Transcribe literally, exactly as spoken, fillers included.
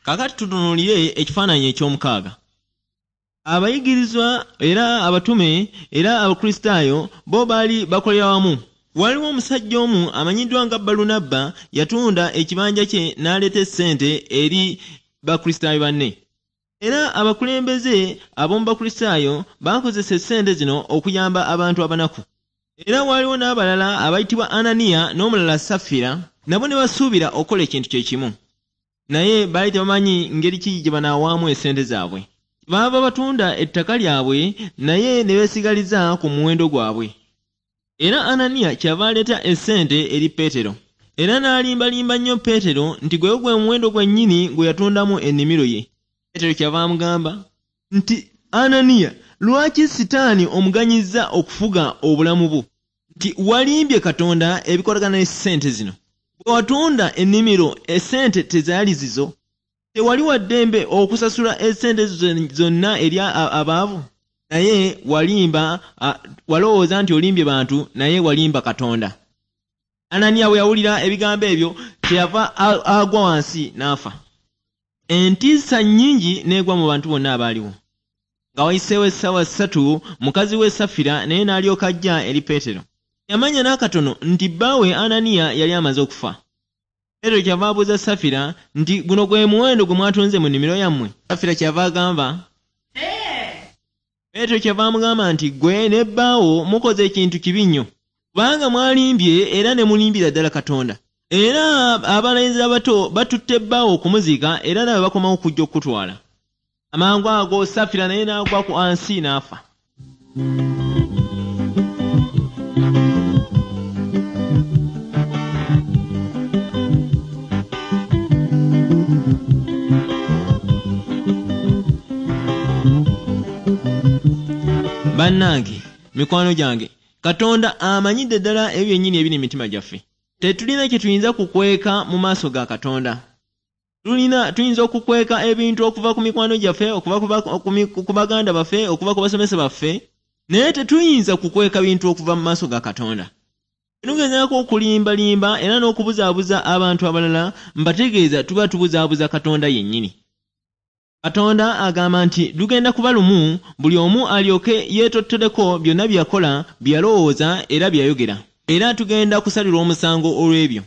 Kaakati tutunuulire ekifaananyi eky'omukaaga. Abayigirizwa era abatume era Abakristaayo bo baali bakolera wamu. Waliwo omusajja omu amanyiddwa nga Balunabba yatunda ekibanja kye n'aleeta essente eri Bakristaayo banne. Era abakulembeze ab'omu Bakristaayo baakozesa essente zino okuyamba abantu abanaku. Era waliwo n'abalala abayitibwa Ananiya n'omulala Safira, nabo ne basuubira okukola ekintu kye kimu. Naye baali tebamanyi ngeri ki gye banaawaamu essente zaabwe. Baava batunda ettaka lyabwe naye ne beesigaliza ku muwendo gwabwe. Era Ananiya kyava aleeta essente eri Peetero. Era n'alimbalimba nnyo Peetero nti gwe gwe muwendo gwennyini gwe yatundamu ennimiro ye. Peetero kyava amugamba nti, Ananiya, lwaki Sitaani omuganyizza okufuga obulamu bwo? Nti walimbye Katonda ebikolagana n'essente zino. Bwe watunda ennimiro, essente tezaali zizo. Tewali wa ddembe okusasula essente zonna eri abaavu. Naye walimba, walowooza nti olimbye bantu, naye walimba Katonda. Ananiya bwe yawulira ebigambo ebyo, kyeyava agwa wansi n'afa. Entiisa nnyingi n'egwa mu bantu bonna abaaliwo. Nga wayiseewo essaawa ssatu, mukazi we Safira naye n'alyoka ajja eri Peetero. Yamanya n'akatono nti bbaawe Ananiya yali amaze okufa. Peetero kyava abuuza Safira nti guno gwe muwendo gwe mwatunze mu nnimiro yammwe. Safira kyava agamba, Peetero kyava amugamba nti ggwe ne bbaawo mukoze ekintu kibi nnyo, kubanga mwalimbye era ne mulimbira ddala Katonda. Era abalenzi abato batutte bbaawo okumuziika era nawe bakomawo okujja okukutwala. Amangu ago Safira naye n'agwa ku ansi n'afa. Bannange, mikwano gyange, Katonda amanyidde ddala ebyo byennyini ebiri mu mitima gyaffe. Tetulina kye tuyinza kukweka mu maaso ga Katonda. Tulina tuyinza okukweka ebintu okuva ku mikwano gyaffe, okuva ku baganda baffe, okuva ku basomesa baffe, naye tetuyinza kukweka bintu okuva mu maaso ga Katonda. Tugezaako okulimbalimba era n'okubuzaabuza abantu abalala, mbategeeza tuba tubuzaabuza Katonda yennyini. Katonda agamba nti lugenda kuba lumu buli omu alyoke yeetottoleko byonna bye yakola, bye yalowooza era bye yayogera. Era tugenda kusalirwa omusango olw'ebyo.